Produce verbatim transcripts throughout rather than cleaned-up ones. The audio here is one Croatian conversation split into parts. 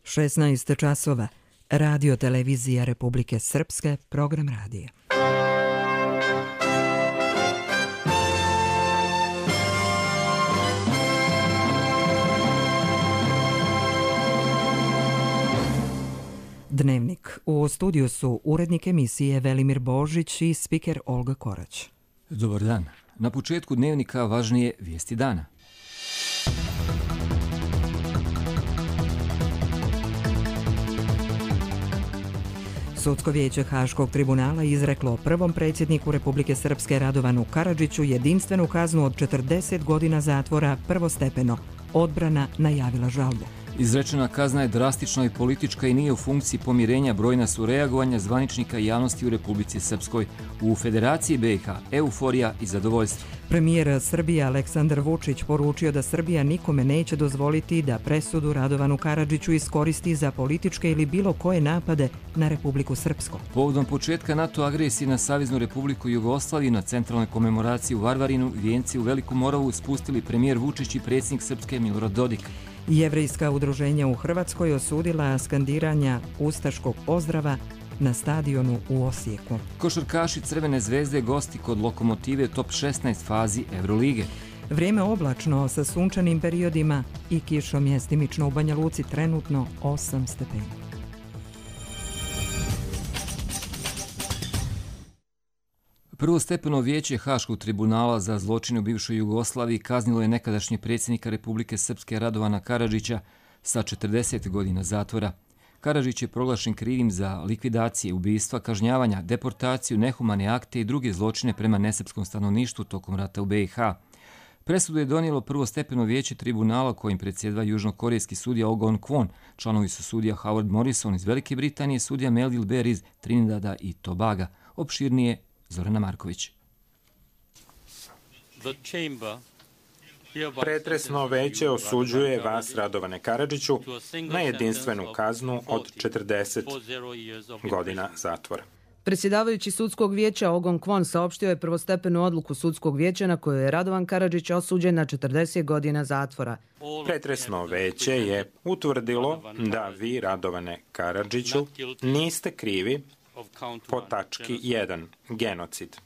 šesnaest časova. Radio televizija Republike Srpske, program radija. Dnevnik. U studiju su urednik emisije Velimir Božić i spiker Olga Korać. Dobar dan. Na početku dnevnika važnije vijesti dana. Sudsko vijeće Haškog tribunala izreklo prvom predsjedniku Republike Srpske Radovanu Karadžiću jedinstvenu kaznu od četrdeset godina zatvora prvostepeno. Odbrana najavila žalbu. Izrečena kazna je drastična i politička i nije u funkciji pomirenja. Brojna su reagovanja zvaničnika i javnosti u Republici Srpskoj. U Federaciji B i H euforija i zadovoljstvo. Premijer Srbije Aleksandar Vučić poručio da Srbija nikome neće dozvoliti da presudu Radovanu Karadžiću iskoristi za političke ili bilo koje napade na Republiku Srpsku. Povodom početka NATO agresije na Saveznu Republiku Jugoslaviju na centralnoj komemoraciji u Varvarinu vijenci u Veliku Moravu spustili premijer Vučić i predsjednik Srpske Milorad Dodik. Jevrejska udruženja u Hrvatskoj osudila skandiranja ustaškog pozdrava na stadionu u Osijeku. Košarkaši Crvene zvezde gosti kod Lokomotive top šesnaest fazi Evrolige. Vrijeme oblačno sa sunčanim periodima i kišom, mjestimično u Banja Luci trenutno osam stepeni. Prvostepeno vijeće Haškog tribunala za zločine u bivšoj Jugoslaviji kaznilo je nekadašnjeg predsjednika Republike Srpske Radovana Karadžića sa četrdeset godina zatvora. Karadžić je proglašen krivim za likvidacije, ubistva, kažnjavanja, deportaciju, nehumane akte i druge zločine prema nesrpskom stanovništvu tokom rata u B i H. Presudu je donijelo prvostepeno vijeće tribunala kojim predsjedava južnokorejski sudija Oh Gon-kwon. Članovi su sudija Howard Morrison iz Velike Britanije, sudija Melville Bear iz Trinidada i Tobaga. Opširnije Zorana Marković. Pretresno veće osuđuje vas, Radovane Karadžiću, na jedinstvenu kaznu od četrdeset godina zatvora. Predsjedavajući sudskog vijeća Oh Gon-kwon saopštio je prvostepenu odluku sudskog vijeća na koju je Radovan Karadžić osuđen na četrdeset godina zatvora. Pretresno veće je utvrdilo da vi, Radovane Karadžiću, niste krivi po tački jedan, genocid,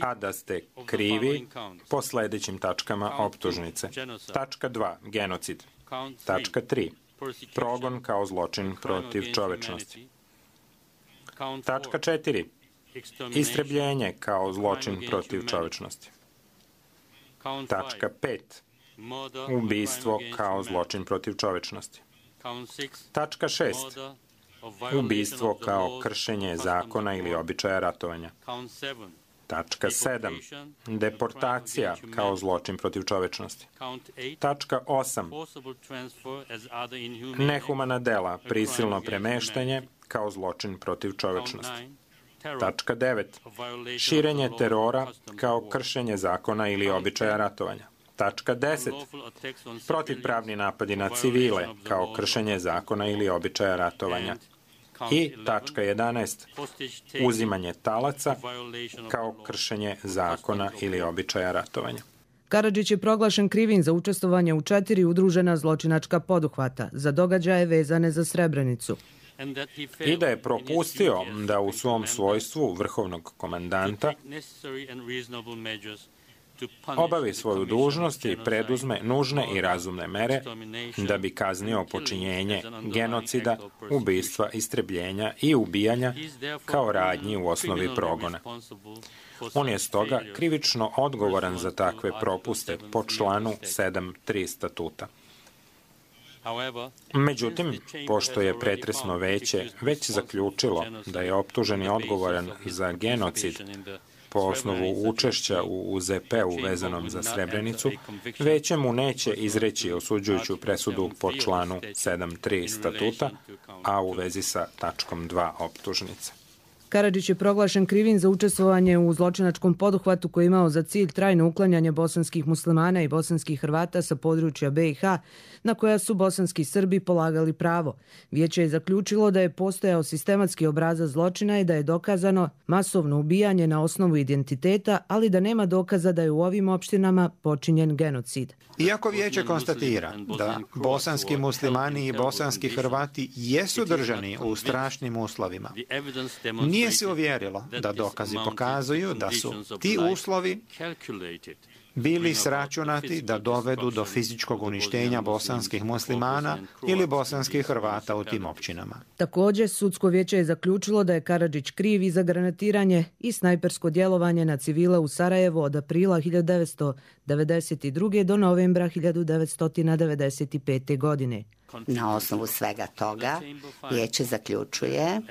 a da ste krivi po sljedećim tačkama optužnice. Tačka dva, genocid. Tačka tri, progon kao zločin protiv čovečnosti. Tačka četiri, istrebljenje kao zločin protiv čovečnosti. Tačka pet, ubistvo kao zločin protiv čovečnosti. Tačka šest, ubistvo kao kršenje zakona ili običaja ratovanja. Tačka sedam. Deportacija kao zločin protiv čovečnosti. Tačka osam. Nehumana dela, prisilno premeštanje kao zločin protiv čovečnosti. Tačka devet. Širenje terora kao kršenje zakona ili običaja ratovanja. Tačka deset. Protivpravni napadi na civile kao kršenje zakona ili običaja ratovanja. I tačka jedanaest. Uzimanje talaca kao kršenje zakona ili običaja ratovanja. Karadžić je proglašen krivim za učestvovanje u četiri udružena zločinačka poduhvata za događaje vezane za Srebrenicu. I da je propustio da u svom svojstvu vrhovnog komandanta obavi svoju dužnost i preduzme nužne i razumne mere da bi kaznio počinjenje genocida, ubistva, istrebljenja i ubijanja kao radnji u osnovi progona. On je stoga krivično odgovoran za takve propuste po članu sedam tri statuta. Međutim, pošto je pretresno veće već zaključilo da je optuženi odgovoran za genocid po osnovu učešća u U Z P-u vezanom za Srebrenicu, veće mu neće izreći osuđujuću presudu po članu sedam tri statuta, a u vezi sa tačkom dva optužnice. Karadžić je proglašen krivim za učestvovanje u zločinačkom poduhvatu koji je imao za cilj trajno uklanjanje bosanskih muslimana i bosanskih Hrvata sa područja B i H, na koja su bosanski Srbi polagali pravo. Vijeće je zaključilo da je postojao sistematski obrazac zločina i da je dokazano masovno ubijanje na osnovu identiteta, ali da nema dokaza da je u ovim opštinama počinjen genocid. Iako vijeće konstatira da bosanski muslimani i bosanski Hrvati jesu držani u strašnim uslovima, nije se uvjerilo da dokazi pokazuju da su ti uslovi bili sračunati da dovedu do fizičkog uništenja bosanskih muslimana ili bosanskih Hrvata u tim općinama. Također, sudsko vijeće je zaključilo da je Karadžić kriv i za granatiranje i snajpersko djelovanje na civile u Sarajevu od aprila hiljadu devetsto devedeset druge. do novembra hiljadu devetsto devedeset pete. godine. Na osnovu svega toga vijeće zaključuje,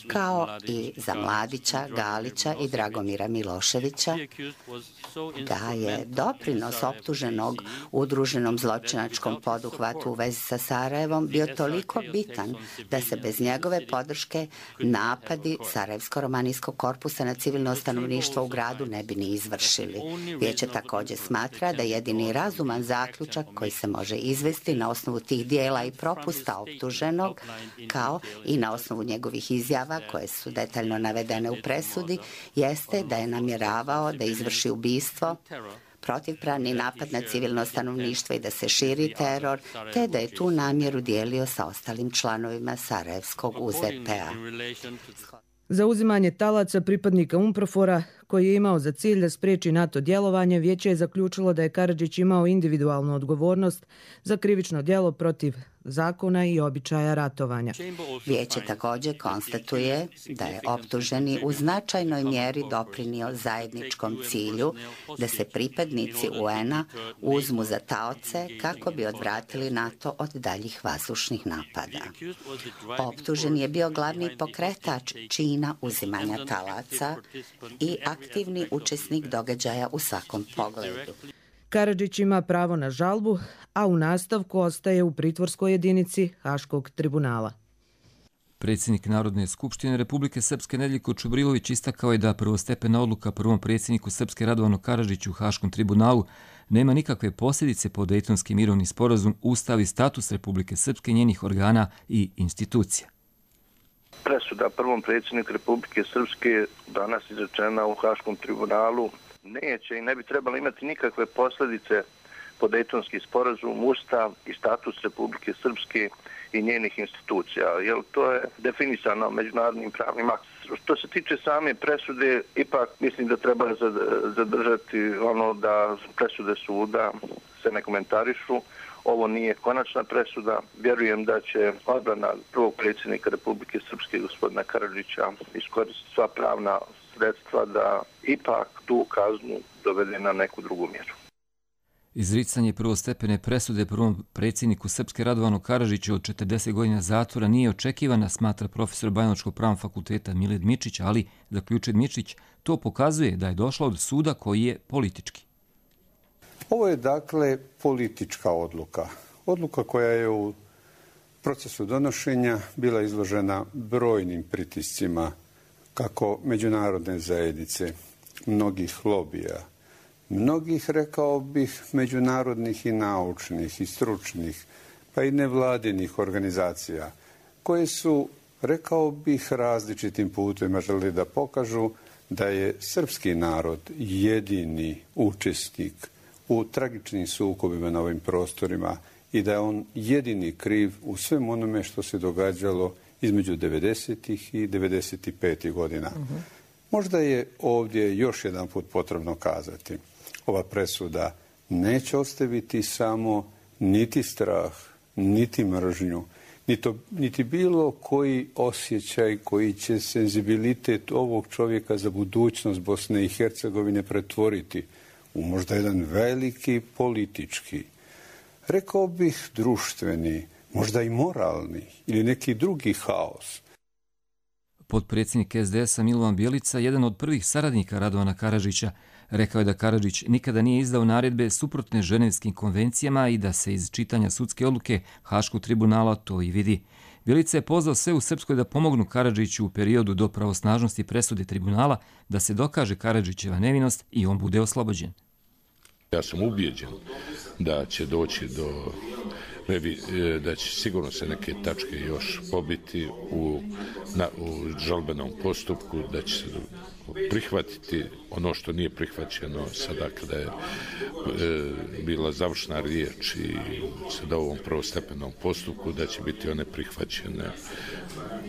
kao i za Mladića, Galića i Dragomira Miloševića, da je doprinos optuženog udruženom zločinačkom poduhvatu u vezi sa Sarajevom bio toliko bitan da se bez njegove podrške napadi Sarajevsko-romanijskog korpusa na civilno stanovništvo u gradu ne bi ni izvršili. Vijeće također smatra da jedini razuman zaključak koji se može izvesti na osnovu tih dijela i propusta optuženog, kao i na osnovu njegovih izjava koje su detaljno navedene u presudi, jeste da je namjeravao da izvrši ubistvo, protivpravni napad na civilno stanovništvo i da se širi teror, te da je tu namjeru dijelio sa ostalim članovima Sarajevskog U Z P-a. Za uzimanje talaca pripadnika UNPROFOR-a, koji je imao za cilj da spriječi NATO djelovanje, vijeće je zaključilo da je Karadžić imao individualnu odgovornost za krivično djelo protiv zakona i običaja ratovanja. Vijeće također konstatuje da je optuženi u značajnoj mjeri doprinio zajedničkom cilju da se pripadnici U N-a uzmu za taoce kako bi odvratili NATO od daljih vazdušnih napada. Optužen je bio glavni pokretač čina uzimanja talaca i aktivni učesnik događaja u svakom pogledu. Karadžić ima pravo na žalbu, a u nastavku ostaje u pritvorskoj jedinici Haškog tribunala. Predsjednik Narodne skupštine Republike Srpske Nedeljko Čubrilović istakao je da prvostepena odluka prvom predsjedniku Srpske Radovanu Karadžiću u Haškom tribunalu nema nikakve posljedice po Dejtonski mirovni sporazum, ustav i status Republike Srpske, njenih organa i institucija. Presuda prvom predsjedniku Republike Srpske danas izrečena u Haškom tribunalu neće i ne bi trebalo imati nikakve posljedice po Dejtonski sporazum, ustav i status Republike Srpske i njenih institucija, jer to je definisano međunarodnim pravnim aktom. Što se tiče same presude, ipak mislim da treba zadržati ono da presude suda se ne komentarišu. Ovo nije konačna presuda. Vjerujem da će odbrana prvog predsjednika Republike Srpske, gospodina Karadžića, iskoristiti sva pravna sredstva da ipak tu kaznu dovede na neku drugu mjeru. Izricanje prvostepene presude prvom predsjedniku Srpske Radovanu Karadžiću od četrdeset godina zatvora nije očekivana, smatra profesor Bajanočkog pravnog fakulteta Miled Mičić, ali, zaključuje Mičić, to pokazuje da je došlo od suda koji je politički. Ovo je dakle politička odluka. Odluka koja je u procesu donošenja bila izložena brojnim pritiscima kako međunarodne zajednice, mnogih lobija, mnogih, rekao bih, međunarodnih i naučnih i stručnih, pa i nevladinih organizacija, koje su, rekao bih, različitim putima želeli da pokažu da je srpski narod jedini učesnik u tragičnim sukobima na ovim prostorima i da je on jedini kriv u svem onome što se događalo između devedesetih i devedeset pete godina. Uh-huh. Možda je ovdje još jedan put potrebno kazati. Ova presuda neće ostaviti samo niti strah, niti mržnju, niti, niti bilo koji osjećaj koji će senzibilitet ovog čovjeka za budućnost Bosne i Hercegovine pretvoriti u možda jedan veliki politički, rekao bih društveni, možda i moralni ili neki drugi haos. Potpredsjednik S D S-a Milovan Bjelica, jedan od prvih saradnika Radovana Karadžića, rekao je da Karadžić nikada nije izdao naredbe suprotne ženevskim konvencijama i da se iz čitanja sudske odluke Haškog tribunala to i vidi. Bjelica je pozvao sve u Srpskoj da pomognu Karadžiću u periodu do pravosnažnosti presude tribunala da se dokaže Karadžićeva nevinost i on bude oslobođen. Ja sam ubijeđen da će doći do, da će sigurno se neke tačke još pobiti u, na, u žalbenom postupku, da će se prihvatiti ono što nije prihvaćeno sada kada je e, bila završna riječ i sada u ovom prvostepenom postupku, da će biti one prihvaćene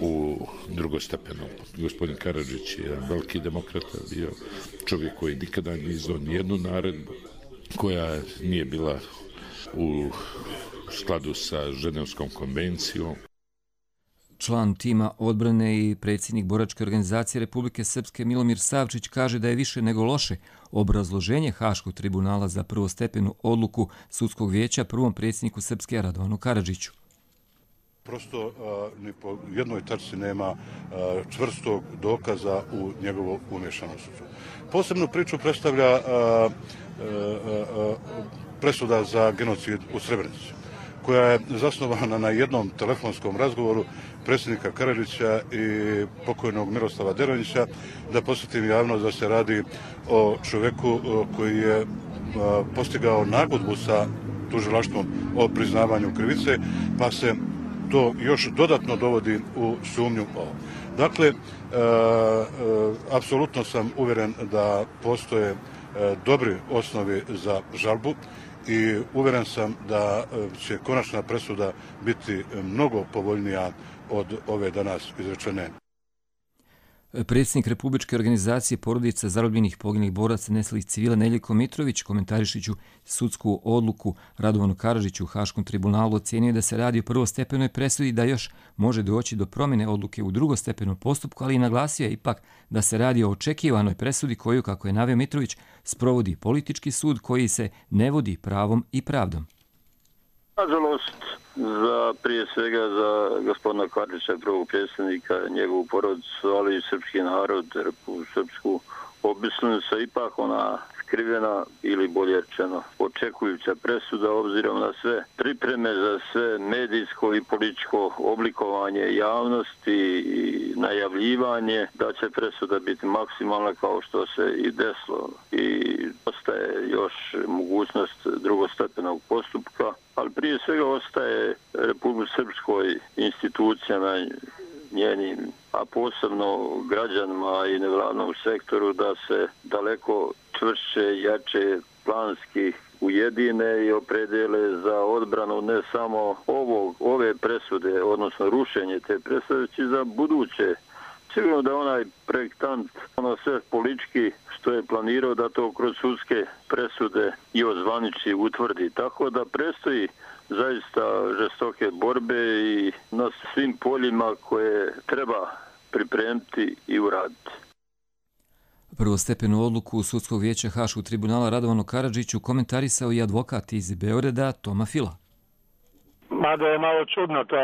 u drugostepenom. Gospodin Karadžić je veliki demokrata, bio čovjek koji nikada nije izdao nijednu naredbu koja nije bila u skladu sa Ženevskom konvencijom. Član tima odbrane i predsjednik boračke organizacije Republike Srpske Milomir Savčić kaže da je više nego loše obrazloženje Haškog tribunala za prvostepenu odluku sudskog vijeća prvom predsjedniku Srpske Radovanu Karadžiću. Prosto ni po jednoj tačci nema čvrstog dokaza u njegovo umješanost. Posebnu priču predstavlja presuda za genocid u Srebrenici, koja je zasnovana na jednom telefonskom razgovoru predsjednika Karadžića i pokojnog Miroslava Deronjića. Da podsjetim javnost da se radi o čovjeku koji je postigao nagodbu sa tužilaštvom o priznavanju krivice, pa se to još dodatno dovodi u sumnju ovo. Dakle, e, e, apsolutno sam uvjeren da postoje e, dobri osnovi za žalbu i uvjeren sam da će konačna presuda biti mnogo povoljnija od ove danas izrečene. Predsjednik Republičke organizacije porodica zarobljenih poginulih boraca nestalih civila Neljko Mitrović, komentarišiću sudsku odluku Radovanu Karadžiću u Haškom tribunalu, ocjenio da se radi o prvostepenoj presudi, da još može doći do promjene odluke u drugostepenom postupku, ali i naglasio je ipak da se radi o očekivanoj presudi koju, kako je naveo Mitrović, sprovodi politički sud koji se ne vodi pravom i pravdom. Nažalost, za, prije svega za gospodina Karadžića, prvog predsjednika, njegovu porodicu, ali i srpski narod, Republiku Srpsku, obislim se ipak ona skrivena ili bolje rečeno očekujuća presuda obzirom na sve pripreme za sve medijsko i političko oblikovanje javnosti i najavljivanje da će presuda biti maksimalna kao što se i desilo. I ostaje još mogućnost drugostepenog postupka, ali prije svega ostaje Republike Srpskoj institucijama njenim, a posebno građanima i nevladnom sektoru da se daleko čvršće, jače, planski ujedine i opredele za odbranu ne samo ovog, ove presude, odnosno rušenje te presude, već i za buduće. Sigurno da onaj projektant, ono sve politički što je planirao da to kroz sudske presude i ozvaniči utvrdi. Tako da predstoji zaista žestoke borbe i na svim poljima koje treba pripremiti i uraditi. Prvostepenu odluku Sudskog vijeća Haškog tribunala Radovanu Karadžiću komentarisao i advokat iz Beograda Toma Fila. Mada je malo čudno to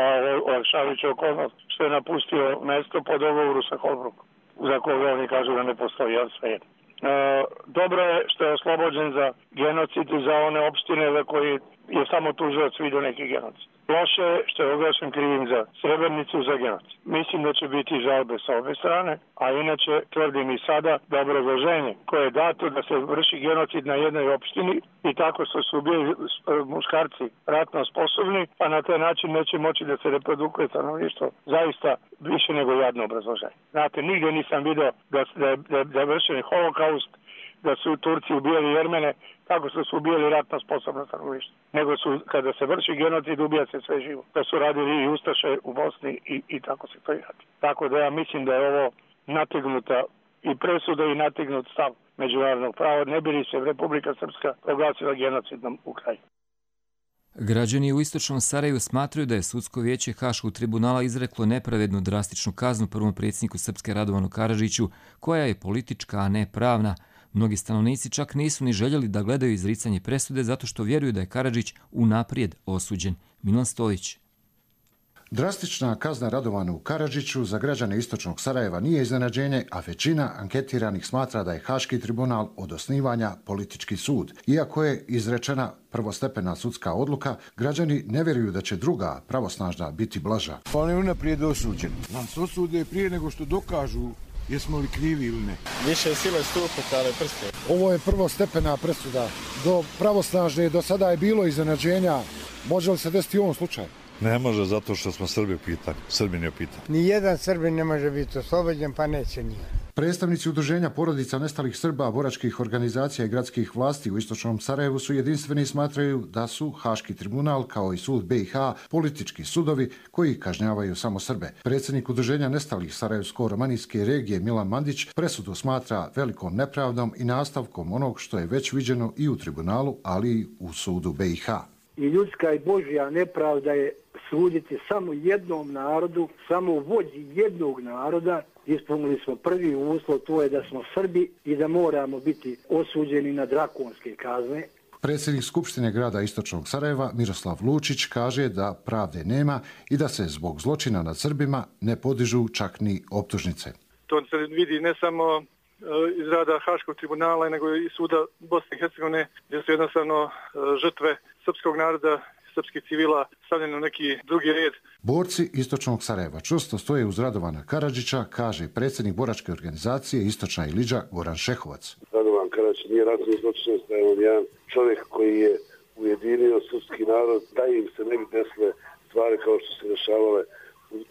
olakšavajuća okolnost što je napustio mesto po dogovoru sa Holbrookom, za koga oni kažu da ne postoji, ali sve jedno. E, dobro je što je oslobođen za genocid i za one opštine za koji je samo tužilac vidio neki genocid. Loše je što je oglašen krivim za Srebrenicu za genocid. Mislim da će biti žalbe sa obe strane, a inače tvrdim i sada da obrazloženje koje je dato da se vrši genocid na jednoj opštini i tako što su bili muškarci ratno sposobni, pa na taj način neće moći da se reprodukuje stanovništvo, zaista više nego jadno obrazloženje. Znate, nigdje nisam vidio da, da, da, da je vršen holokaust, da su Turci ubijali Jermene tako što su ubijali ratno sposobno stanovništvo. Nego su, kada se vrši genocid, ubija se sve živo. To su radili i Ustaše u Bosni i, i tako se to i radi. Tako da ja mislim da je ovo nategnuta i presuda i nategnut stav međunarodnog prava. Ne bi li se Republika Srpska proglasila genocidnom u kraju. Građani u istočnom Sarajevu smatraju da je Sudsko vijeće Haškog tribunala izreklo nepravednu drastičnu kaznu prvom predsjedniku Srpske Radovanu Karadžiću, koja je politička, a ne pravna. Mnogi stanovnici čak nisu ni željeli da gledaju izricanje presude zato što vjeruju da je Karadžić unaprijed osuđen. Milan Stojić. Drastična kazna Radovanu Karadžiću za građane istočnog Sarajeva nije iznenađenje, a većina anketiranih smatra da je Haški tribunal od osnivanja politički sud. Iako je izrečena prvostepena sudska odluka, građani ne vjeruju da će druga pravosnažna biti blaža. On je unaprijed osuđen. Nas osude prije nego što dokažu jesmo li krivi ili ne. Više sile stuputale prste. Ovo je prvostepena presuda. Do pravosnažne do sada je bilo iznenađenja. Može li se desiti u ovom slučaju? Ne može, zato što smo Srbi u pitanju. Srbin je u pitanju. Nijedan Srbin ne može biti oslobođen, pa neće nije. Predstavnici udruženja porodica nestalih Srba, boračkih organizacija i gradskih vlasti u istočnom Sarajevu su jedinstveni i smatraju da su Haški tribunal kao i sud B i H politički sudovi koji kažnjavaju samo Srbe. Predsjednik udruženja nestalih Sarajevsko-romanijske regije Milan Mandić presudu smatra velikom nepravdom i nastavkom onog što je već viđeno i u tribunalu, ali i u sudu B i H. I ljudska i Božja nepravda je suditi samo jednom narodu, samo vođi jednog naroda. Ispunili smo prvi uslov, to je da smo Srbi i da moramo biti osuđeni na drakonske kazne. Predsjednik Skupštine grada istočnog Sarajeva Miroslav Lučić kaže da pravde nema i da se zbog zločina nad Srbima ne podižu čak ni optužnice. To se vidi ne samo iz rada Haškog tribunala, nego i suda Bosne i Hercegovine, gdje su jednostavno žrtve srpskog naroda, srpskih civila stavljeni u neki drugi red. Borci istočnog Sarajeva čvrsto stoje uz Radovana Karadžića, kaže predsjednik boračke organizacije Istočna Iliđa Goran Šehovac. Radovan Karadžić nije ratni zločinac, da je on jedan čovjek koji je ujedinio srpski narod, da im se ne bi desile stvari kao što se dešavale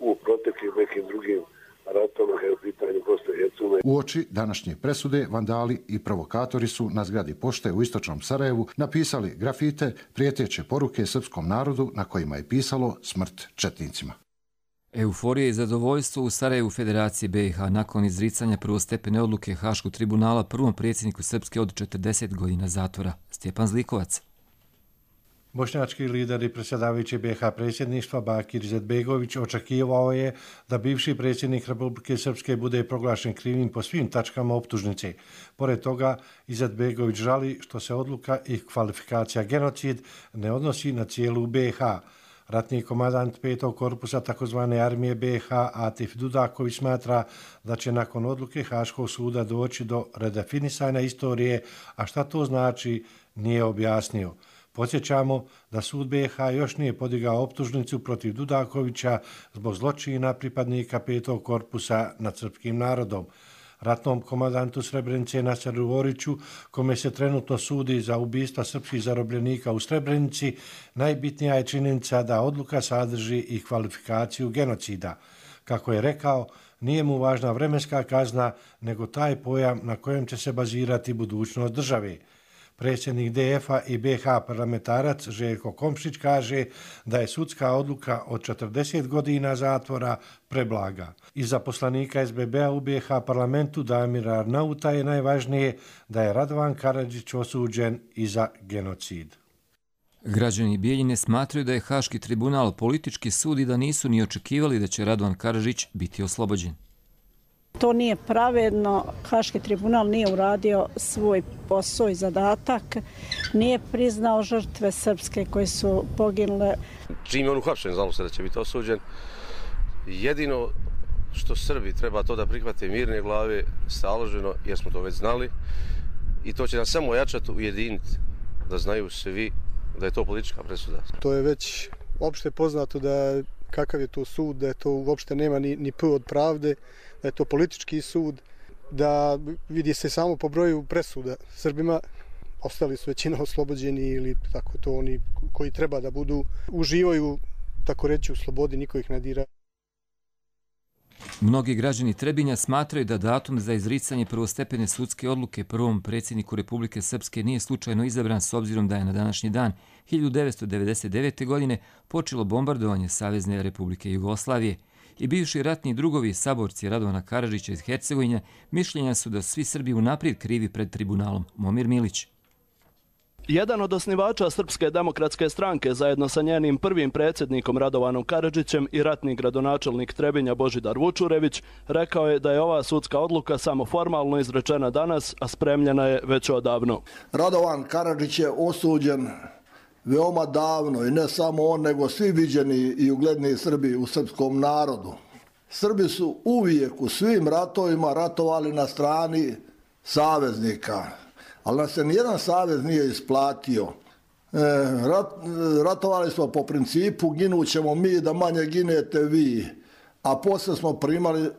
u proteklim nekim drugim ratama kada je u pitanju Bosne i Hercegovine. Uoči današnje presude, vandali i provokatori su na zgradi pošte u istočnom Sarajevu napisali grafite prijeteće poruke srpskom narodu na kojima je pisalo smrt četnicima. Euforija i zadovoljstvo u Sarajevu Federacije B i H nakon izricanja prvostepene odluke Haškog tribunala prvom predsjedniku Srpske od četrdeset godina zatvora. Stjepan Zlikovac. Bošnjački lider i predsjedavajući B i H predsjedništva Bakir Izetbegović očekivao je da bivši predsjednik Republike Srpske bude proglašen krivim po svim tačkama optužnice. Pored toga, Izetbegović žali što se odluka i kvalifikacija genocid ne odnosi na cijelu B i H. Ratni komandant petog korpusa takozvane armije B i H Atif Dudaković smatra da će nakon odluke Haškog suda doći do redefinisanja istorije, a šta to znači nije objasnio. Podsjećamo da sud B i H još nije podigao optužnicu protiv Dudakovića zbog zločina pripadnika petog korpusa nad srpskim narodom. Ratnom komandantu Srebrenice Naseru Oriću, kome se trenutno sudi za ubistva srpskih zarobljenika u Srebrenici, najbitnija je činjenica da odluka sadrži i kvalifikaciju genocida. Kako je rekao, nije mu važna vremenska kazna, nego taj pojam na kojem će se bazirati budućnost države. Predsjednik D F-a i B i H parlamentarac Željko Komšić kaže da je sudska odluka od četrdeset godina zatvora preblaga. I za poslanika S B B-a u B i H parlamentu Damira Arnauta je najvažnije da je Radovan Karadžić osuđen i za genocid. Građani Bijeljine smatraju da je Haški tribunal politički sud i da nisu ni očekivali da će Radovan Karadžić biti oslobođen. To nije pravedno, Haški tribunal nije uradio svoj posao i zadatak, nije priznao žrtve srpske koje su poginule. Čim je on uhapšen, znalo se da će biti osuđen. Jedino što Srbi treba to da prihvate mirne glave, staloženo, jer smo to već znali. I to će nas samo ojačati, ujediniti, da znaju svi da je to politička presuda. To je već opšte poznato da kakav je to sud, da je to uopšte nema ni, ni p od pravde, da je to politički sud, da vidi se samo po broju presuda Srbima, ostali su većina oslobođeni ili tako to oni koji treba da budu, uživaju, tako reći, u slobodi, niko ih ne dira. Mnogi građani Trebinja smatraju da datum za izricanje prvostepene sudske odluke prvom predsjedniku Republike Srpske nije slučajno izabran s obzirom da je na današnji dan hiljadu devetsto devedeset devete. godine počelo bombardovanje Savezne Republike Jugoslavije i bivši ratni drugovi saborci Radovana Karadžića iz Hercegovine mišljenja su da svi Srbi unaprijed krivi pred tribunalom. Momir Milić. Jedan od osnivača Srpske demokratske stranke zajedno sa njenim prvim predsjednikom Radovanom Karadžićem i ratni gradonačelnik Trebinja Božidar Vučurević rekao je da je ova sudska odluka samo formalno izrečena danas, a spremljena je već odavno. Radovan Karadžić je osuđen veoma davno i ne samo on, nego svi viđeni i ugledni Srbi u srpskom narodu. Srbi su uvijek u svim ratovima ratovali na strani saveznika, ali nam se nijedan savez nije isplatio. E, rat, ratovali smo po principu ginućemo mi da manje ginete vi, a poslije smo primali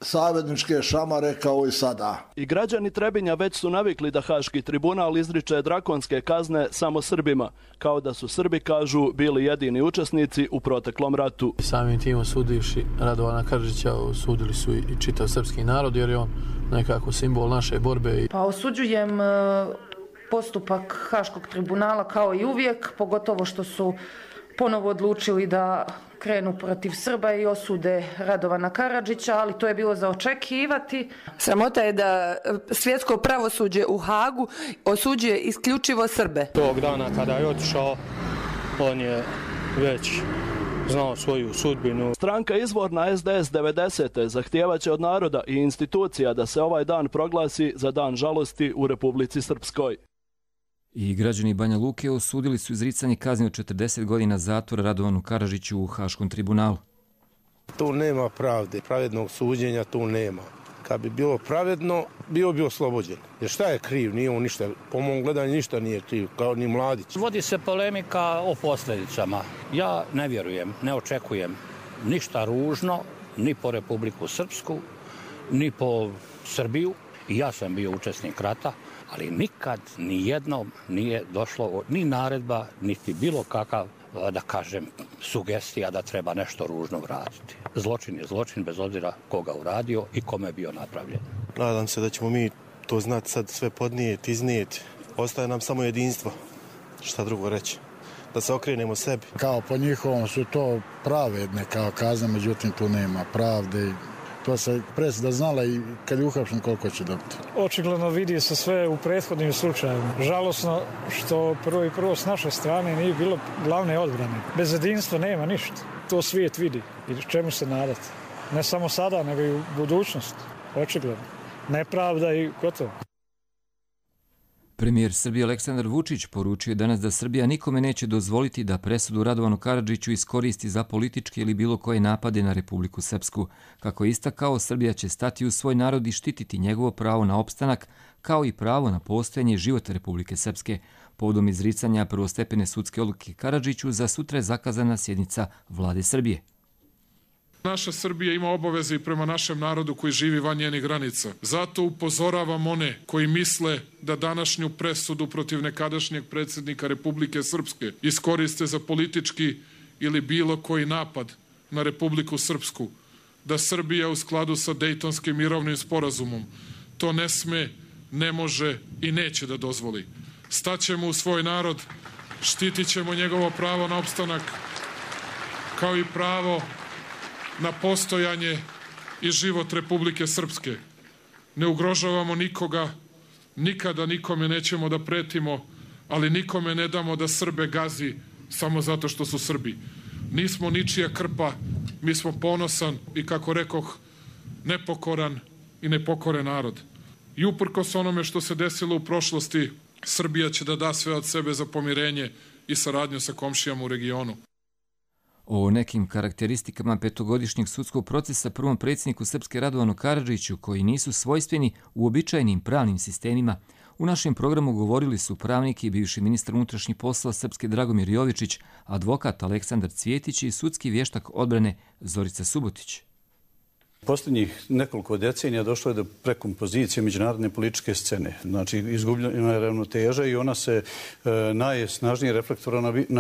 savezničke šamare kao i sada. I građani Trebinja već su navikli da Haški tribunal izriče drakonske kazne samo Srbima, kao da su Srbi, kažu, bili jedini učesnici u proteklom ratu. Samim tim osudivši Radovana Karadžića osudili su i čitav srpski narod, jer je on nekako simbol naše borbe. Pa osuđujem postupak Haškog tribunala kao i uvijek, pogotovo što su ponovo odlučili da krenu protiv Srba i osude Radovana Karadžića, ali to je bilo za očekivati. Sramota je da svjetsko pravosuđe u Hagu osuđuje isključivo Srbe. Tog dana kada je otišao, on je već znao svoju sudbinu. Stranka izvorna es de es devedesete zahtijevaće od naroda i institucija da se ovaj dan proglasi za dan žalosti u Republici Srpskoj. I građani Banja Luke osudili su izricanje kazni od četrdeset godina zatvora Radovanu Karadžiću u Haškom tribunalu. Tu nema pravde, pravednog suđenja tu nema. Kad bi bilo pravedno, bio bi oslobođen. Jer šta je kriv? Nije on ništa, po mom gledanju ništa nije kriv, kao ni Mladić. Vodi se polemika o posljedicama. Ja ne vjerujem, ne očekujem ništa ružno, ni po Republiku Srpsku, ni po Srbiju. I ja sam bio učesnik rata, ali nikad ni jednom nije došlo ni naredba, niti bilo kakav, da kažem, sugestija da treba nešto ružno vratiti. Zločin je zločin bez obzira koga uradio i kome je bio napravljen. Nadam se da ćemo mi to znati sad sve podnijeti, iznijeti. Ostaje nam samo jedinstvo. Šta drugo reći? Da se okrenemo sebi. Kao po njihovom su to pravedne kao kazne, međutim tu nema pravde. To se presuda znala i kad je uhapšen koliko će dobiti. Očigledno vidi se sve u prethodnim slučajevima. Žalosno što prvo i prvo s naše strane nije bilo glavne odbrane. Bez jedinstva nema ništa. To svijet vidi i čemu se nadati. Ne samo sada, nego i u budućnosti. Očigledno. Nepravda i gotovo. Premijer Srbije Aleksandar Vučić poručio je danas da Srbija nikome neće dozvoliti da presudu Radovanu Karadžiću iskoristi za političke ili bilo koje napade na Republiku Srpsku. Kako je istakao, Srbija će stati u svoj narod i štititi njegovo pravo na opstanak, kao i pravo na postojanje života Republike Srpske. Povodom izricanja prvostepene sudske odluke Karadžiću za sutra je zakazana sjednica Vlade Srbije. Naša Srbija ima obaveze i prema našem narodu koji živi van njenih granica. Zato upozoravam one koji misle da današnju presudu protiv nekadašnjeg predsjednika Republike Srpske iskoriste za politički ili bilo koji napad na Republiku Srpsku, da Srbija u skladu sa Dejtonskim mirovnim sporazumom to ne sme, ne može i neće da dozvoli. Staćemo u svoj narod, štitit ćemo njegovo pravo na opstanak, kao i pravo na postojanje i život Republike Srpske. Ne ugrožavamo nikoga, nikada nikome nećemo da pretimo, ali nikome ne damo da Srbe gazi samo zato što su Srbi. Nismo ničija krpa, mi smo ponosan i, kako rekoh, nepokoran i nepokoren narod. I uprkos onome što se desilo u prošlosti, Srbija će da da sve od sebe za pomirenje i saradnju sa komšijama u regionu. O nekim karakteristikama petogodišnjeg sudskog procesa prvom predsjedniku Srpske Radovanu Karadžiću, koji nisu svojstveni uobičajenim pravnim sistemima, u našem programu govorili su pravnik i bivši ministar unutrašnjih poslova Srpske Dragomir Jovičić, advokat Aleksandar Cvjetić i sudski vještak odbrane Zorica Subotić. Posljednjih nekoliko decenija došlo je do prekompozicije međunarodne političke scene. Znači, izgubljena je ravnoteža i ona se e, najsnažnije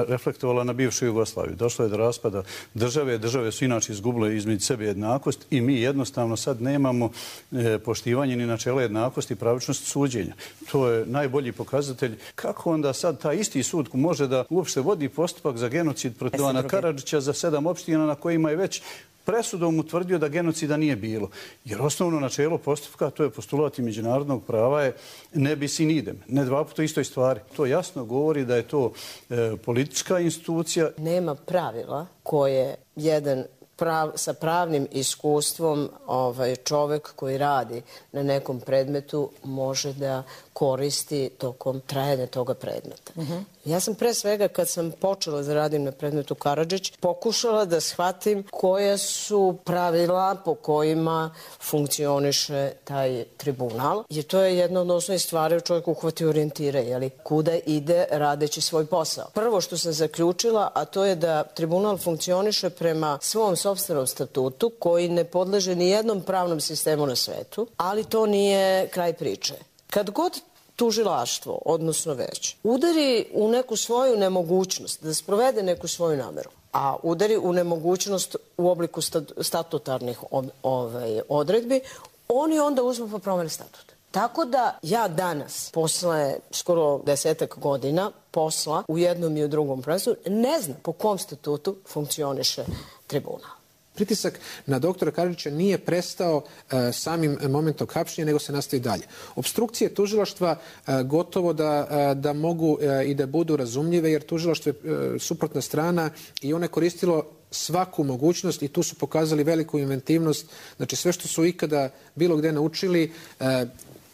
reflektovala na bivšu Jugoslaviju. Došlo je do raspada države. Države su inače izgubile između sebe jednakost i mi jednostavno sad nemamo e, poštivanje ni načela jednakosti i pravičnosti suđenja. To je najbolji pokazatelj kako onda sad taj isti sud može da uopšte vodi postupak za genocid protiv Radovana Karadžića za sedam opština na kojima je već presudom utvrdio da genocida nije bilo. Jer osnovno načelo postupka, to je postulati međunarodnog prava, je ne bis in idem. Ne dva puta istoj stvari. To jasno govori da je to e, politička institucija. Nema pravila koje jedan prav, sa pravnim iskustvom ovaj, čovjek koji radi na nekom predmetu može da koristi tokom trajanja toga predmeta. Uh-huh. Ja sam pre svega, kad sam počela da radim na predmetu Karadžić, pokušala da shvatim koja su pravila po kojima funkcioniše taj tribunal, jer to je jedna od osnovnih stvari u čovjeku uhvati orijentire, jeli, kuda ide radeći svoj posao. Prvo što sam zaključila, a to je da tribunal funkcioniše prema svom sopstvenom statutu, koji ne podleže ni jednom pravnom sistemu na svetu, ali to nije kraj priče. Kad god tužilaštvo, odnosno već, udari u neku svoju nemogućnost da sprovede neku svoju nameru, a udari u nemogućnost u obliku statutarnih ovaj, odredbi, oni onda uzmu pa promene statut. Tako da ja danas, posle skoro desetak godina posla u jednom i u drugom presudu, ne znam po kom statutu funkcioniše tribunal. Pritisak na doktora Karadžića nije prestao uh, samim momentom hapšenja, nego se nastavi dalje. Obstrukcije tužilaštva uh, gotovo da, uh, da mogu uh, i da budu razumljive, jer tužilaštvo je uh, suprotna strana i ono je koristilo svaku mogućnost i tu su pokazali veliku inventivnost. Znači sve što su ikada bilo gde naučili uh,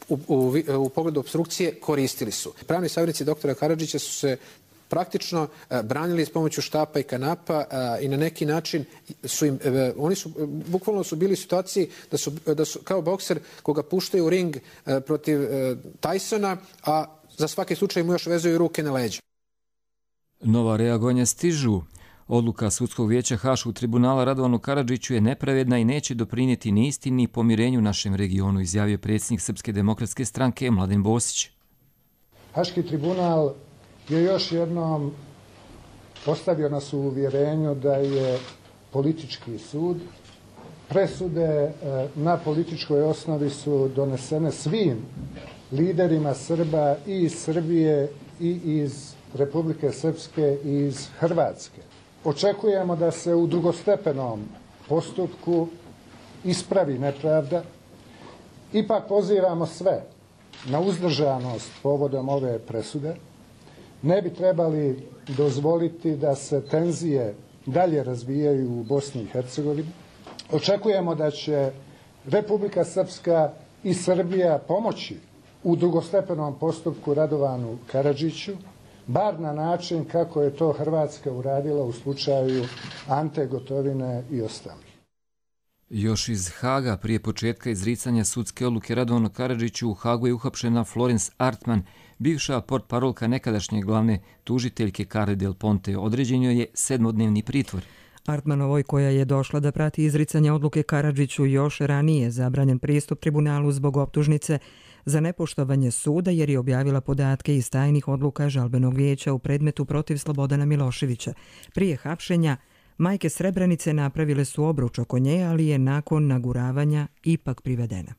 u, u, u pogledu obstrukcije koristili su. Pravni savjetnici doktora Karadžića su se praktično uh, branili s pomoću štapa i kanapa uh, i na neki način su im, uh, oni su, uh, bukvalno su bili u situaciji da su, uh, da su kao bokser koga puštaju u ring uh, protiv uh, Tysona, a za svaki slučaj mu još vezuju ruke na leđa. Nova reagovanja stižu. Odluka Sudskog vijeća Haškog tribunala Radovanu Karadžiću je nepravedna i neće doprinijeti ni istini ni pomirenju našem regionu, izjavio predsjednik Srpske demokratske stranke Mladen Bosić. Haški tribunal je još jednom postavio nas u uvjerenju da je politički sud. Presude na političkoj osnovi su donesene svim liderima Srba i iz Srbije i iz Republike Srpske i iz Hrvatske. Očekujemo da se u drugostepenom postupku ispravi nepravda. Ipak pozivamo sve na uzdržanost povodom ove presude. Ne bi trebali dozvoliti da se tenzije dalje razvijaju u Bosni i Hercegovini. Očekujemo da će Republika Srpska i Srbija pomoći u drugostepenom postupku Radovanu Karadžiću, bar na način kako je to Hrvatska uradila u slučaju Ante Gotovine i ostalih. Još iz Haga, prije početka izricanja sudske odluke Radovanu Karadžiću, u Hagu je uhapšena Florence Artman, bivša portparolka nekadašnje glavne tužiteljke Carle Del Ponte. Određen joj je sedmodnevni pritvor. Artmanovoj, koja je došla da prati izricanje odluke Karadžiću, još ranije zabranjen pristup tribunalu zbog optužnice za nepoštovanje suda, jer je objavila podatke iz tajnih odluka žalbenog vijeća u predmetu protiv Slobodana Miloševića. Prije hapšenja majke Srebrenice napravile su obruč oko nje, ali je nakon naguravanja ipak privedena.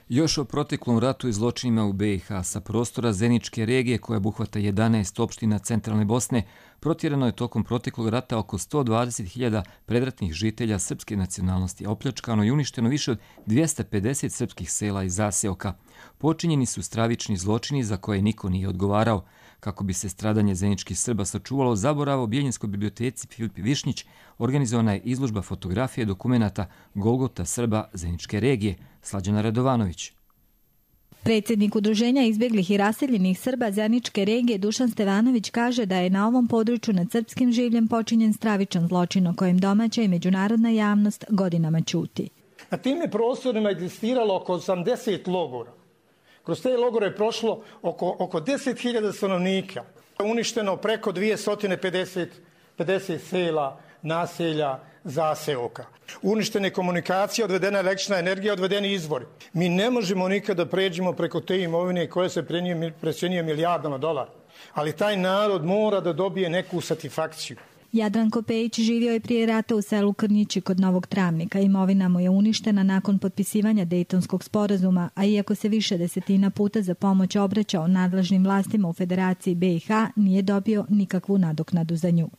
Još o proteklom ratu i zločinima u be i ha sa prostora Zeničke regije, koja obuhvata jedanaest opština centralne Bosne, protjerano je tokom proteklog rata oko sto dvadeset hiljada predratnih žitelja srpske nacionalnosti, a opljačkano i uništeno više od dvjesto pedeset srpskih sela i zaseoka. Počinjeni su stravični zločini za koje niko nije odgovarao. Kako bi se stradanje zeničkih Srba sačuvalo zaborava, u Bijeljinskoj biblioteci Filip Višnjić organizovana je izložba fotografije dokumenata Golgota Srba Zeničke regije. Slađana Radovanović. Predsjednik Udruženja izbjeglih i raseljenih Srba Zeničke regije Dušan Stevanović kaže da je na ovom području nad srpskim življem počinjen stravičan zločin o kojem domaća i međunarodna javnost godinama ćuti. Na tim je prostorima egzistiralo oko osamdeset logora. Kroz te logore je prošlo oko, oko deset hiljada stanovnika. Uništeno preko dvjesto pedeset sela, naselja, zaseoka. Uništene komunikacije, odvedena električna energija, odvedeni izvori. Mi ne možemo nikada pređemo preko te imovine koje se precenjuje milijardama dolara. Ali taj narod mora da dobije neku satisfakciju. Jadranko Pejić živio je prije rata u selu Krnjići kod Novog Travnika. Imovina mu je uništena nakon potpisivanja Dejtonskog sporazuma, a iako se više desetina puta za pomoć obraćao nadležnim vlastima u Federaciji be i ha, nije dobio nikakvu nadoknadu za nju.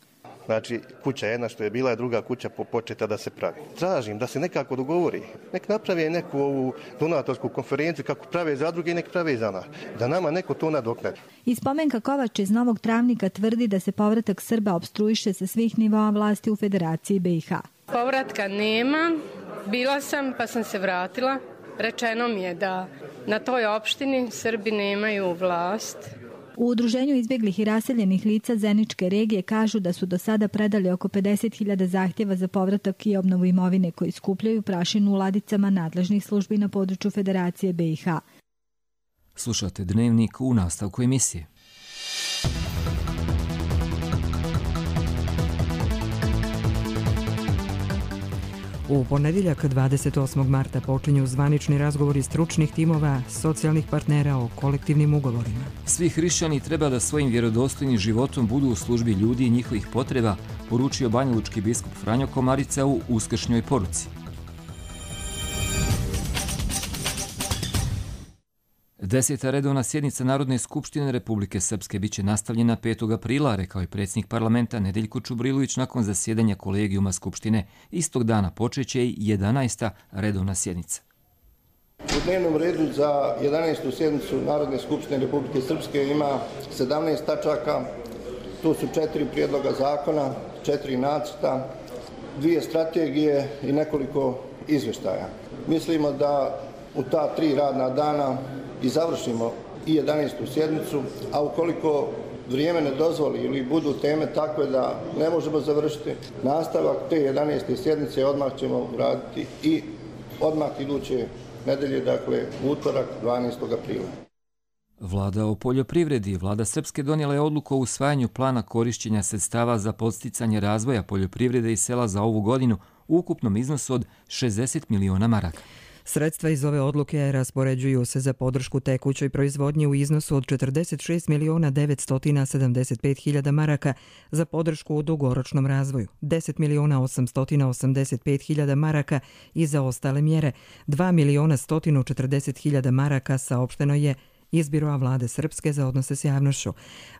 Znači, kuća jedna što je bila je druga kuća početa da se pravi. Tražim da se nekako dogovori. Nek napravi neku ovu donatorsku konferenciju kako prave zadruge i nek prave za nas. Da nama neko to nadoknadi. I Spomenka Kovač iz Novog Travnika tvrdi da se povratak Srba opstruiše sa svih nivoa vlasti u Federaciji be i ha. Povratka nema. Bila sam pa sam se vratila. Rečeno mi je da na toj opštini Srbi nemaju vlast. U Udruženju izbjeglih i raseljenih lica Zeničke regije kažu da su do sada predali oko pedeset hiljada zahtjeva za povratak i obnovu imovine koji skupljaju prašinu u ladicama nadležnih službi na području Federacije B i H. Slušate Dnevnik u nastavku emisije. U ponedjeljak dvadeset osmog marta počinju zvanični razgovori stručnih timova socijalnih partnera o kolektivnim ugovorima. Svi hrišćani treba da svojim vjerodostojnim životom budu u službi ljudi i njihovih potreba, poručio banjalučki biskup Franjo Komarica u uskršnjoj poruci. Deseta redovna sjednica Narodne skupštine Republike Srpske biće nastavljena petog aprila, rekao je predsjednik parlamenta Nedeljko Čubrilović nakon zasjedanja kolegijuma Skupštine. Istog dana počeće i jedanaesta redovna sjednica. U dnevnom redu za jedanaestu sjednicu Narodne skupštine Republike Srpske ima sedamnaest tačaka. Tu su četiri prijedloga zakona, četiri nacrta, dvije strategije i nekoliko izvještaja. Mislimo da u ta tri radna dana i završimo i jedanaestu sjednicu, a ukoliko vrijeme ne dozvoli ili budu teme takve da ne možemo završiti, nastavak te jedanaeste sjednice odmah ćemo uraditi i odmah iduće nedelje, dakle utorak dvanaestog aprila. Vlada o poljoprivredi. Vlada Srpske donijela je odluku o usvajanju plana korišćenja sredstava za podsticanje razvoja poljoprivrede i sela za ovu godinu u ukupnom iznosu od šezdeset miliona maraka. Sredstva iz ove odluke raspoređuju se za podršku tekućoj proizvodnji u iznosu od četrdeset šest miliona devetsto sedamdeset pet hiljada maraka, za podršku u dugoročnom razvoju deset miliona osamsto osamdeset pet hiljada maraka i za ostale mjere dva miliona sto četrdeset hiljada maraka, saopšteno je iz Biroa Vlade Srpske za odnose s javnošću.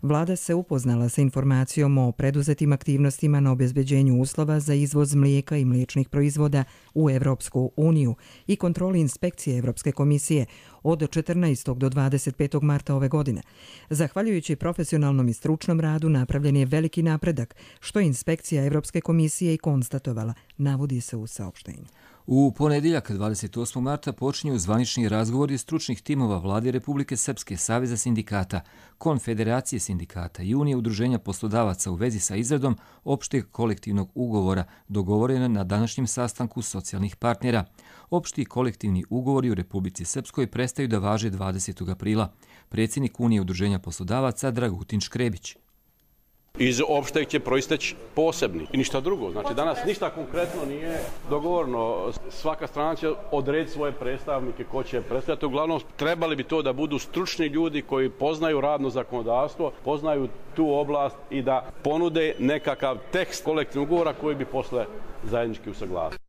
Vlada se upoznala sa informacijom o preduzetim aktivnostima na obezbeđenju uslova za izvoz mlijeka i mliječnih proizvoda u Evropsku uniju i kontroli inspekcije Evropske komisije od četrnaestog do dvadeset petog marta ove godine. Zahvaljujući profesionalnom i stručnom radu napravljen je veliki napredak, što je inspekcija Evropske komisije i konstatovala, navodi se u saopštenju. U ponedjeljak dvadeset osmog marta počinju zvanični razgovori stručnih timova Vlade Republike Srpske, Saveza sindikata, Konfederacije sindikata i Unije udruženja poslodavaca u vezi sa izradom opšteg kolektivnog ugovora dogovorena na današnjem sastanku socijalnih partnera. Opšti kolektivni ugovori u Republici Srpskoj prestaju da važe dvadesetog aprila. Predsjednik Unije udruženja poslodavaca Dragutin Škrebić. Iz opšteg će proisteći posebni i ništa drugo. Znači danas ništa konkretno nije dogovorno. Svaka strana će odrediti svoje predstavnike ko će predstavljati. Uglavnom trebali bi to da budu stručni ljudi koji poznaju radno zakonodavstvo, poznaju tu oblast i da ponude nekakav tekst kolektivnog ugovora koji bi posle zajednički usaglasili.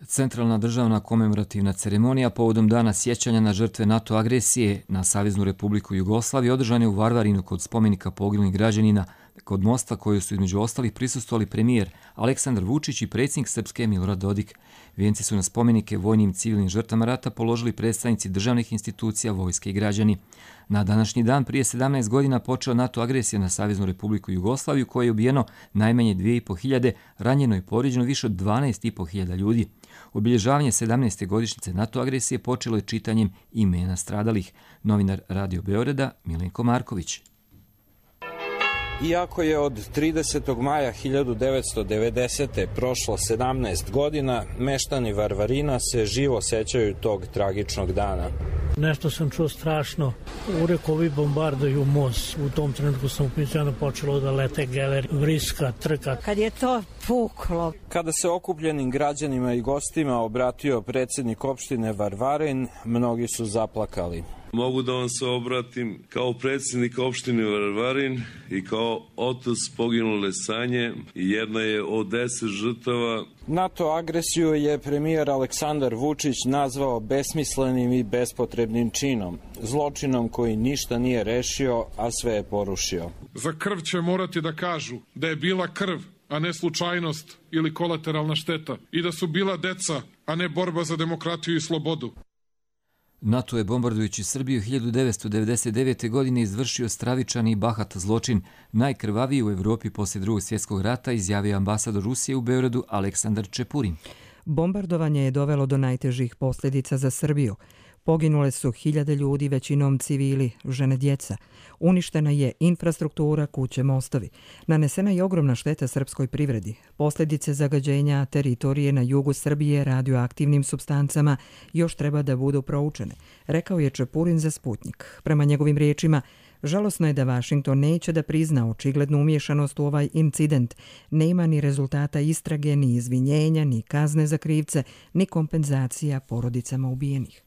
Centralna državna komemorativna ceremonija povodom dana sjećanja na žrtve NATO agresije na Saveznu Republiku Jugoslaviju održane u Varvarinu kod spomenika poginulih građanina kod mosta koju su između ostalih prisustvovali premijer Aleksandar Vučić i predsjednik Srpske Milorad Dodik. Vijenci su na spomenike vojnim i civilnim žrtvama rata položili predstavnici državnih institucija, vojske i građani. Na današnji dan prije sedamnaest godina počela NATO agresija na Saveznu Republiku Jugoslaviju, koje je ubijeno najmanje dvije i po hiljade, ranjeno i povrijeđeno više od dvanaest i po hiljada ljudi. Obilježavanje sedamnaeste godišnjice NATO agresije počelo je čitanjem imena stradalih. Novinar Radio Beograda Milenko Marković. Iako je od tridesetog maja hiljadu devetsto devedesete. prošlo sedamnaest godina, meštani Varvarina se živo sećaju tog tragičnog dana. Nešto sam čuo strašno. Urekovi bombarduju most. U tom trenutku sam upićano počelo da lete geler, vriska, trka. Kad je to puklo. Kada se okupljenim građanima i gostima obratio predsjednik opštine Varvarin, mnogi su zaplakali. Mogu da vam se obratim kao predsjednik opštine Varvarin i kao otac poginule Sanje. Jedna je od deset žrtava. NATO agresiju je premijer Aleksandar Vučić nazvao besmislenim i bespotrebnim činom. Zločinom koji ništa nije rešio, a sve je porušio. Za krv će morati da kažu da je bila krv, a ne slučajnost ili kolateralna šteta. I da su bila deca, a ne borba za demokratiju i slobodu. NATO je bombardujući Srbiju hiljadu devetsto devedeset devete. godine izvršio stravičan i bahat zločin, najkrvaviji u Evropi poslije Drugog svjetskog rata, izjavio ambasador Rusije u Beogradu Aleksandar Čepurin. Bombardovanje je dovelo do najtežih posljedica za Srbiju. Poginule su hiljade ljudi, većinom civili, žene, djeca. Uništena je infrastruktura, kuće, mostovi. Nanesena je ogromna šteta srpskoj privredi. Posljedice zagađenja teritorije na jugu Srbije radioaktivnim supstancama još treba da budu proučene, rekao je Čepurin za Sputnik. Prema njegovim riječima, žalosno je da Vašington neće da prizna očiglednu umješanost u ovaj incident. Nema ni rezultata istrage, ni izvinjenja, ni kazne za krivce, ni kompenzacija porodicama ubijenih.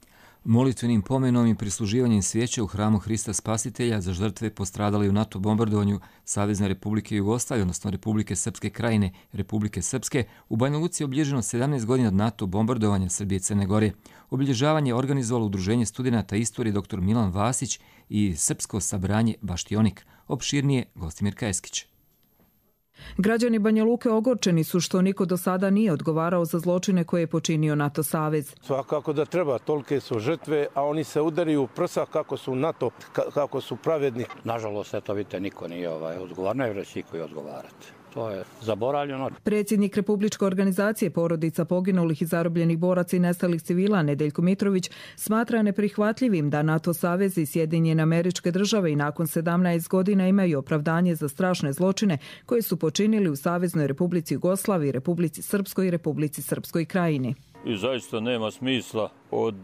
Molitvenim pomenom i prisluživanjem svijeća u hramu Hrista Spasitelja za žrtve postradali u NATO bombardovanju Savezne Republike Jugoslavije, odnosno Republike Srpske Krajine, Republike Srpske, u Banja Luci je obilježeno sedamnaest godina od NATO bombardovanja Srbije i Crne Gore. Obilježavanje je organizovalo Udruženje studenata istorije dr Milan Vasić i Srpsko sabranje Baštionik. Opširnije Gostimir Kajeskić. Građani Banja Luke ogorčeni su što niko do sada nije odgovarao za zločine koje je počinio NATO savez. Svakako da treba, tolike su žrtve, a oni se udariju u prsa kako su NATO, kako su pravedni. Nažalost, eto vidite, niko nije ovaj, odgovarno, jer će niko i odgovarati. To je zaboravljeno. Predsjednik Republičke organizacije porodica poginulih i zarobljenih boraca i nestalih civila Nedeljko Mitrović smatra neprihvatljivim da NATO savez i Sjedinjene Američke Države i nakon sedamnaest godina imaju opravdanje za strašne zločine koje su počinili u Saveznoj Republici Jugoslaviji, Republici Srpskoj i Republici Srpskoj Krajini. I zaista nema smisla od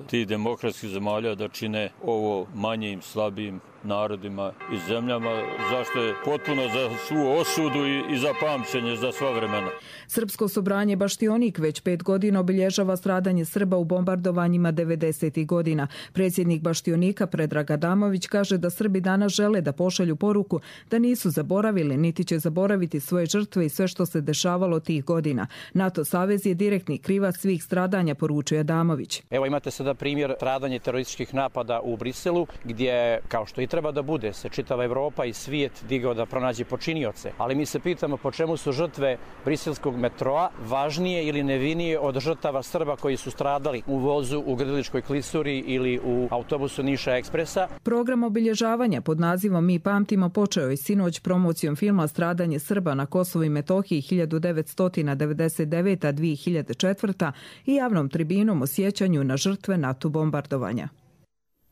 tih demokratskih zemalja da čine ovo manjim, slabijim narodima i zemljama, zašto je potpuno za svu osudu i, i za pamćenje za sva vremena. Srpsko sabranje Baštionik već pet godina obilježava stradanje Srba u bombardovanjima devedesetih godina. Predsjednik Baštionika Predrag Adamović kaže da Srbi danas žele da pošalju poruku da nisu zaboravili niti će zaboraviti svoje žrtve i sve što se dešavalo tih godina. NATO savez je direktni krivac svih stradanja, poručuje Adamović. Evo imate sada primjer stradanja terorističkih napada u Briselu, gdje, kao što i treba da bude, se čitava Evropa i svijet digao da pronađe počinioce. Ali mi se pitamo po čemu su žrtve briselskog metroa važnije ili nevinije od žrtava Srba koji su stradali u vozu u Grdeličkoj klisuri ili u autobusu Niša Ekspresa. Program obilježavanja pod nazivom Mi pamtimo počeo je sinoć promocijom filma Stradanje Srba na Kosovu i Metohiji hiljadu devetsto devedeset devete do dvije hiljade četvrte. i javnom tribinom o sjećanju na žrtve NATO bombardovanja.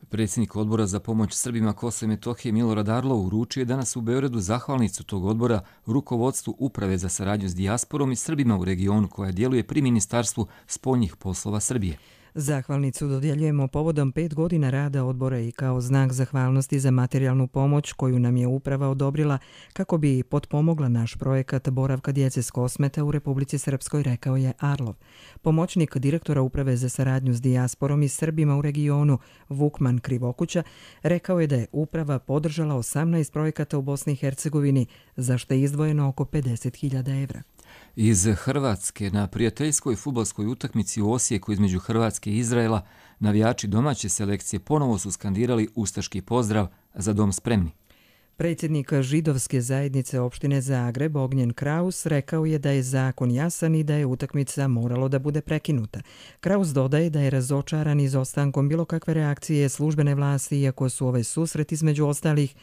Predsjednik odbora za pomoć Srbima Kosova i Metohije Milorad Arlov uručio je danas u Beogradu zahvalnicu tog odbora rukovodstvu Uprave za saradnju s dijasporom i Srbima u regionu koja djeluje pri Ministarstvu spoljnih poslova Srbije. Zahvalnicu dodjeljujemo povodom pet godina rada odbora i kao znak zahvalnosti za materijalnu pomoć koju nam je uprava odobrila kako bi potpomogla naš projekat boravka djece s Kosmeta u Republici Srpskoj, rekao je Arlov. Pomoćnik direktora Uprave za saradnju s dijasporom i Srbima u regionu Vukman Krivokuća rekao je da je uprava podržala osamnaest projekata u Bosni i Hercegovini, za što je izdvojeno oko pedeset hiljada evra. Iz Hrvatske na prijateljskoj fudbalskoj utakmici u Osijeku između Hrvatske i Izraela navijači domaće selekcije ponovo su skandirali ustaški pozdrav Za dom spremni. Predsjednik židovske zajednice opštine Zagreb Ognjen Kraus rekao je da je zakon jasan i da je utakmica moralo da bude prekinuta. Kraus dodaje da je razočaran izostankom bilo kakve reakcije službene vlasti, iako su ovaj susret između ostalih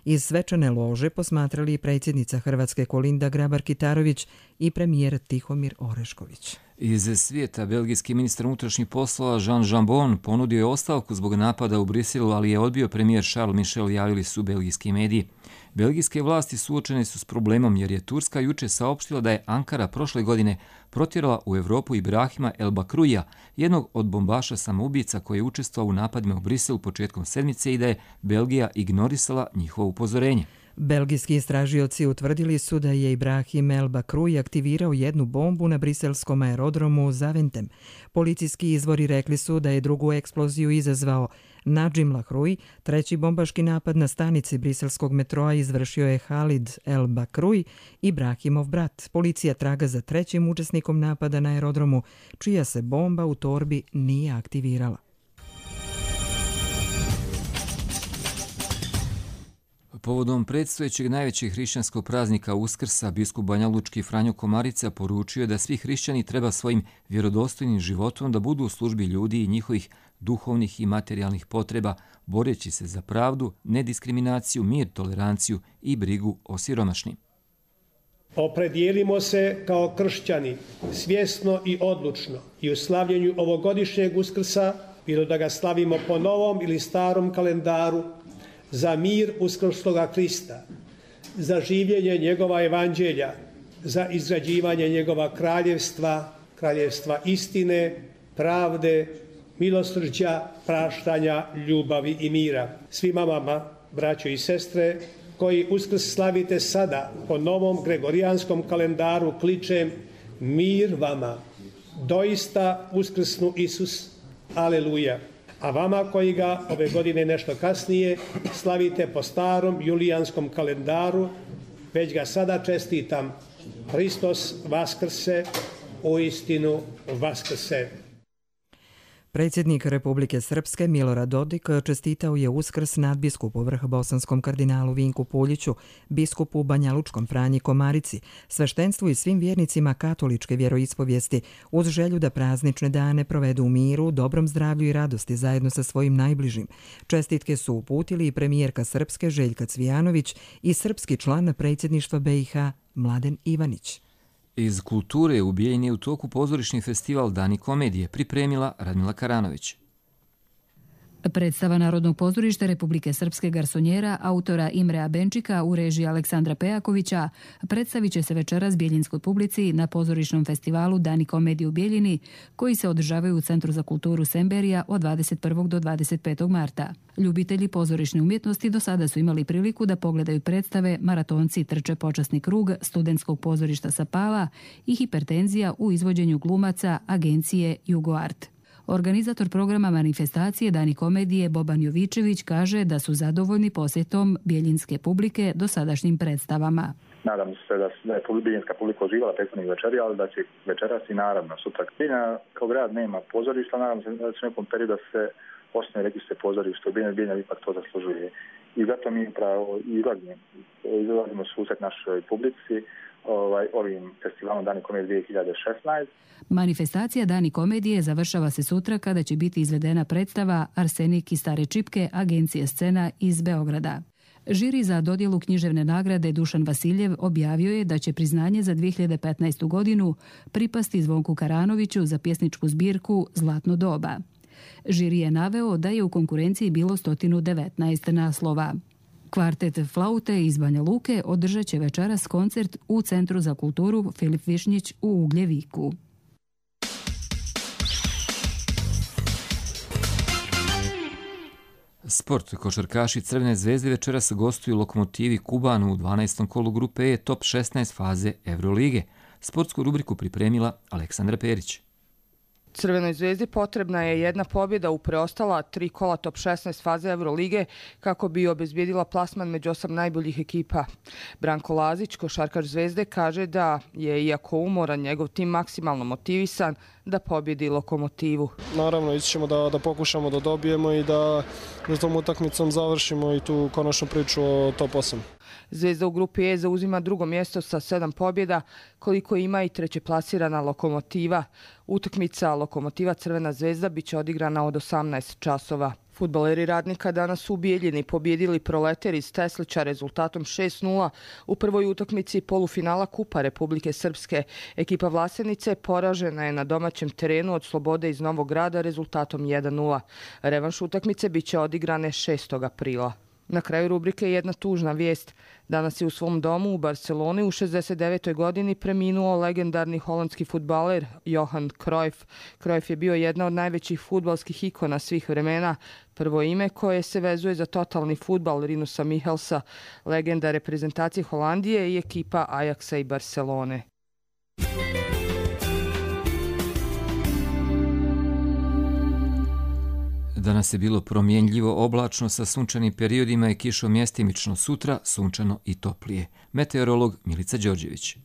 iz svečane lože posmatrali i predsjednica Hrvatske Kolinda Grabar-Kitarović i premijer Tihomir Orešković. Iz svijeta belgijski ministar unutrašnjih poslova Jean Jambon ponudio je ostavku zbog napada u Briselu, ali je odbio premijer Charles Michel, javili su belgijski mediji. Belgijske vlasti suočene su s problemom jer je Turska juče saopštila da je Ankara prošle godine protjerala u Evropu Ibrahima El Bakruja, jednog od bombaša samoubica koji je učestvovao u napadima u Briselu početkom sedmice i da je Belgija ignorisala njihovo upozorenje. Belgijski istražioci utvrdili su da je Ibrahim El Bakruj aktivirao jednu bombu na briselskom aerodromu Zaventem. Policijski izvori rekli su da je drugu eksploziju izazvao Nadžim Lahruj. Treći bombaški napad na stanici briselskog metroa izvršio je Halid El Bakruj, Ibrahimov brat. Policija traga za trećim učesnikom napada na aerodromu, čija se bomba u torbi nije aktivirala. Povodom predstojećeg najvećeg hrišćanskog praznika Uskrsa, biskup banjalučki Franjo Komarica poručio da svi hrišćani treba svojim vjerodostojnim životom da budu u službi ljudi i njihovih duhovnih i materijalnih potreba, boreći se za pravdu, nediskriminaciju, mir, toleranciju i brigu o siromašnim. Opredijelimo se kao kršćani svjesno i odlučno i u slavljenju ovogodišnjeg Uskrsa, bilo da ga slavimo po novom ili starom kalendaru, za mir uskrsloga Krista, za življenje njegova evanđelja, za izgrađivanje njegova kraljevstva, kraljevstva istine, pravde, milosrđa, praštanja, ljubavi i mira. Svima vama, braćo i sestre, koji Uskrs slavite sada po novom gregorijanskom kalendaru, kličem mir vama, doista uskrsnu Isus, aleluja. A vama koji ga ove godine nešto kasnije slavite po starom julijanskom kalendaru, već ga sada čestitam. Hristos vaskrse, uistinu vaskrse. Predsjednik Republike Srpske Milorad Dodik čestitao je Uskrs nadbiskupu vrhbosanskom kardinalu Vinku Puljiću, biskupu banjalučkom Franji Komarici, sveštenstvu i svim vjernicima katoličke vjeroispovijesti, uz želju da praznične dane provedu u miru, dobrom zdravlju i radosti zajedno sa svojim najbližim. Čestitke su uputili i premijerka Srpske Željka Cvijanović i srpski član predsjedništva B i H Mladen Ivanić. Iz kulture u Bijeljini je u toku pozorišni festival Dani komedije, pripremila Radmila Karanović. Predstava Narodnog pozorišta Republike Srpske garsonjera autora Imrea Benčika u režiji Aleksandra Pejakovića predstavit će se večeras bijeljinskoj publici na pozorišnom festivalu Dani komedije u Bijeljini, koji se održavaju u Centru za kulturu Semberija od dvadeset prvog do dvadeset petog marta. Ljubitelji pozorišne umjetnosti do sada su imali priliku da pogledaju predstave Maratonci trče počasni krug studentskog pozorišta Sapala i Hipertenzija u izvođenju glumaca agencije Jugoart. Organizator programa manifestacije Dani komedije Boban Jovičević kaže da su zadovoljni posjetom bijeljinske publike dosadašnjim predstavama. Nadam se da je bijeljinska publika uživala prethodnih večeri, ali da će večeras i naravno sutra. Bijeljina kao grad nema pozorišta, nadam se da će nekom periodu da se osnovi registre pozorišta. Bijeljina, Bijeljina ipak to zaslužuje. I zato mi upravo izlazimo, izlazimo susret našoj publici ovaj, ovim festivalom Dani komedije dvije hiljade šesnaeste. Manifestacija Dani komedije završava se sutra kada će biti izvedena predstava Arsenik i stare čipke agencije Scena iz Beograda. Žiri za dodjelu književne nagrade Dušan Vasiljev objavio je da će priznanje za dvije hiljade petnaestu godinu pripasti Zvonku Karanoviću za pjesničku zbirku Zlatno doba. Žiri je naveo da je u konkurenciji bilo sto devetnaest naslova. Kvartet flaute iz Banja Luke održat će večeras koncert u Centru za kulturu Filip Višnjić u Ugljeviku. Sport. Košarkaši Crvene zvezde večeras gostuju Lokomotivi Kubanu u dvanaestom kolu grupe E top šesnaest faze Evrolige. Sportsku rubriku pripremila Aleksandra Perić. Crvenoj zvezdi potrebna je jedna pobjeda u preostala tri kola top šesnaest faze Evrolige kako bi obezbijedila plasman među osam najboljih ekipa. Branko Lazić, košarkaš Zvezde, kaže da je, iako umoran, njegov tim maksimalno motivisan da pobjedi Lokomotivu. Naravno, ići ćemo da, da pokušamo da dobijemo i da za tom utakmicom završimo i tu konačnu priču o top osam. Zvezda u grupi E zauzima drugo mjesto sa sedam pobjeda, koliko ima i treće plasirana Lokomotiva. Utakmica Lokomotiva Crvena zvezda biće odigrana od osamnaest časova. Fudbaleri Radnika danas su u Bijeljini pobjedili Proleter iz Teslića rezultatom šest nula u prvoj utakmici polufinala Kupa Republike Srpske. Ekipa Vlasenice poražena je na domaćem terenu od Slobode iz Novog Grada rezultatom jedan nula. Revanš utakmice biće odigrane šestog aprila. Na kraju rubrike jedna tužna vijest. Danas je u svom domu u Barceloni u šezdeset devetoj godini preminuo legendarni holandski fudbaler Johan Cruyff. Cruyff je bio jedna od najvećih fudbalskih ikona svih vremena. Prvo ime koje se vezuje za totalni fudbal Rinusa Michelsa, legenda reprezentacije Holandije i ekipa Ajaxa i Barcelone. Danas je bilo promjenljivo, oblačno sa sunčanim periodima i kišom mjestimično, sutra sunčano i toplije. Meteorolog Milica Đorđević.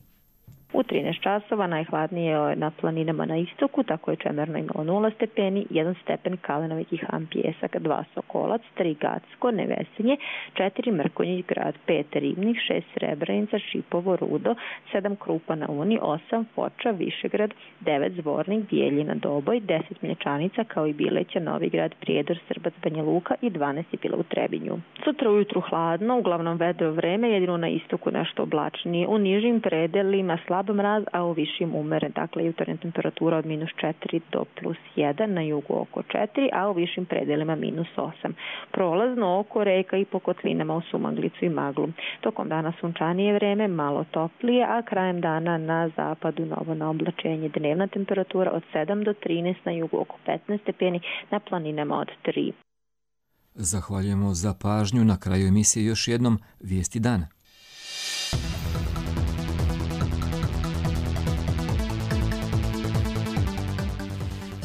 U trinaest časova najhladnije je na planinama na istoku, tako je Čemerno imalo nula stepeni, jedan stepen Kalenovik i Han Pijesak, dva Sokolac, tri Gacko, Nevesinje, četiri Mrkonjić grad, pet Ribnik, šest Srebrenica, Šipovo, Rudo, sedam Krupa na Uni, osam Foča, Višegrad, devet Zvornik, Bijeljina, Doboj, deset Mlječanica, kao i Bileća, Novigrad, Prijedor, Srbac, Banja Luka i dvanaest je bilo u Trebinju. Sutra ujutru hladno, uglavnom vedro vreme, jedino na istoku nešto oblačnije. U nižim predelima slab mraz, a u višim umeren. Dakle, jutarnja temperatura od minus četiri do plus jedan, na jugu oko četiri, a u višim predelima minus osam. Prolazno oko reka i po kotlinama u Sumaglicu i Maglu. Tokom dana sunčanije vreme, malo toplije, a krajem dana na zapadu novo na oblačenje. Dnevna temperatura od sedam do trinaest, na jugu oko petnaest stepeni, na planinama od tri. Zahvaljujemo za pažnju. Na kraju emisije još jednom vijesti dana.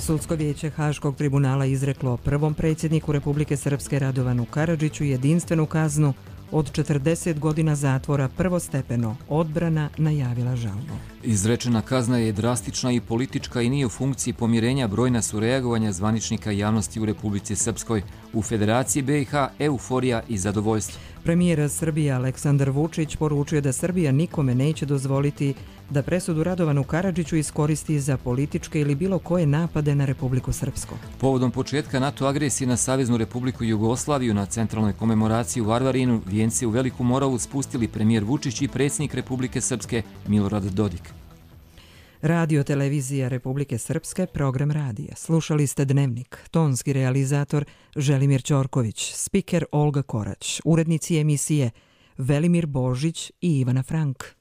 Sudsko vijeće Haškog tribunala izreklo prvom predsjedniku Republike Srpske Radovanu Karadžiću jedinstvenu kaznu od četrdeset godina zatvora prvostepeno. Odbrana najavila žalbu. Izrečena kazna je drastična i politička i nije u funkciji pomirenja. Brojna su reagovanja zvaničnika javnosti u Republici Srpskoj. U Federaciji B i H euforija i zadovoljstvo. Premijer Srbije Aleksandar Vučić poručio da Srbija nikome neće dozvoliti da presudu Radovanu Karadžiću iskoristi za političke ili bilo koje napade na Republiku Srpsku. Povodom početka NATO agresije na Saveznu Republiku Jugoslaviju na centralnoj komemoraciji u Varvarinu vijence u Veliku Moravu spustili premijer Vučić i predsjednik Republike Srpske Milorad Dodik. Radio televizija Republike Srpske, program radija. Slušali ste Dnevnik. Tonski realizator Želimir Ćorković, spiker Olga Korać, urednici emisije Velimir Božić i Ivana Frank.